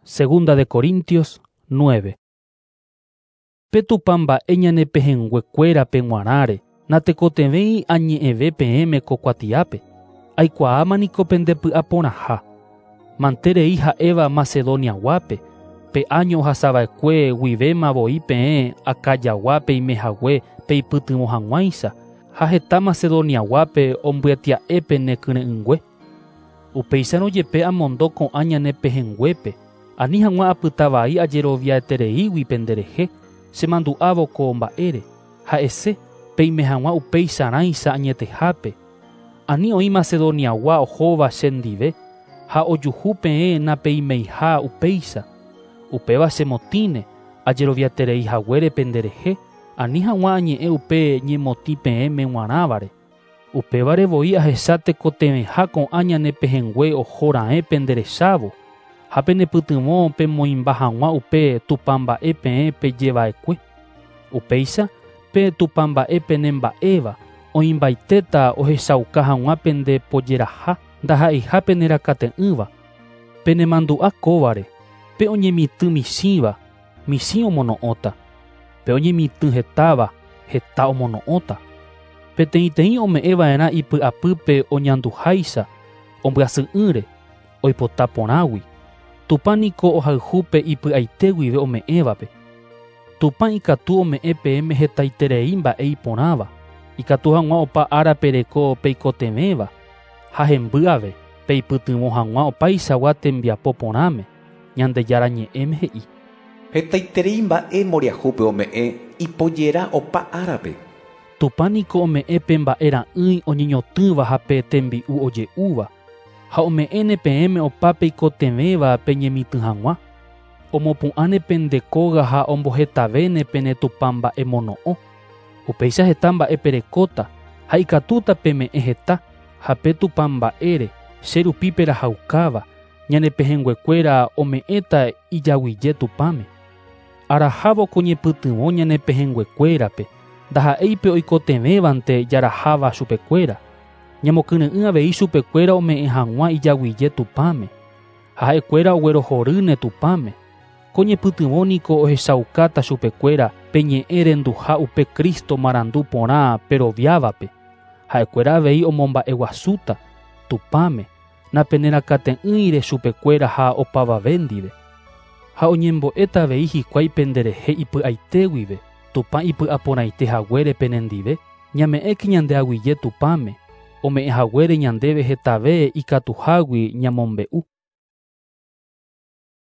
Segunda de Corintios 9. Pe Tupã mba'e ñane pehẽngue kuérape g̃uarãre, natekotevẽi añe'ẽve peẽme ko kuatiápe. Aikuaáma niko pende py'a porãha. Manterei ha'éva Macedonia guápe, pe áño ohasava'ekue guivéma voi peẽ Acaya-gua peimehague peipytyvõ hag̃uáicha ha heta Macedonia guápe ombyetia'e pene kyre'ỹngue. Upéicharõ jepe amondo ko'ã ñane pehẽnguépe, ani hag̃ua apyta vai ajeroviaetereígui penderehe, chemandu'ávo ko mba'ére, ha'ese peime hag̃ua upeicharãicha añetehápe. Ani oĩ Macedoniagua ohóva chendive ha ojuhu peẽ napeimeiha upéicha. Upéva chemotĩne ajeroviaterei haguére penderehe, ani hag̃ua añe'ẽ upe ñemotĩ peẽme g̃uarãvare. Upévare voi ahecha tekotevẽha ko'ã ñane pehẽngue oho raẽ penderechávo ha penepytyvõ pemoĩmba hag̃ua upe tupãmba'e peẽ pejeva'ekue. Upéicha pe tupãmba'e penemba'éva oĩmbaitéta ohechauka hag̃ua pende pojeraha ndaha'eiha penerakate'ỹva. Penemandu'a kóvare, pe oñemitỹ michĩva, michĩ omono'õta. Pe oñemitỹ hetáva, heta omono'õta. Peteĩteĩ ome'ẽva'erã ipy'apýpe oñanduháicha, ombyasy'ỹre, oipota porãgui. Tupã niko ohayhu pe ipy'aite guive ome'ẽvape. Tupã ikatu ome'ẽ peẽme hetaiterei mba'e iporãva, ikatu hag̃ua opa ára pereko peikotevẽva ha hemby ave peipytyvõ hag̃ua opaichagua tembiapo porãme, Ñandejára ñe'ẽme he'i. Hetaiterei mba'e mboriahúpe ome'ẽ ipojera opa árape. Tupã niko ome'ẽ pe mba'e ra'ỹi oñeñotỹva ha pe tembi'u oje'úva, ha ome'ẽne peẽme opa peikotevẽva peñemitỹ hag̃ua. Omopu'ãne pende kóga ha ombohetavéne pene tupãmba'emono'õ. Upéicha heta mba'e perekóta ha ikatúta peme'ẽ heta ha pe tupãmba'ére che rupi perahaukáva, ñane pehẽnguekuéra ome'ẽta ijaguije Tupãme. Arahávo ko ñepytyvõ ñane pehẽnguekuérape, ndaha'éi pe oikotevẽvante jaraháva chupekuéra. Ñamokyre'ỹ avei chupekuéra ome'ẽ hag̃ua ijaguije Tupãme. Ha ha'ekuéra oguerohorýne Tupãme. Ko ñepytyvõ niko ohechaukáta chupekuéra pe ñe'ẽ renduha upe Cristo marandu porã peroviávape. Ha'ekuéra avei omomba'eguasúta Tupãme, napenerakate'ỹire chupekuéra ha opavave ndive. Ha oñembo'éta avei hikuái penderehe ipy'aite guive, Tupã ipy'aporãite haguére penendive, ñame'ẽke ñande aguyje Tupãme, ome'ẽ haguére ñandéve hetave ikatuhágui ñamombe'u.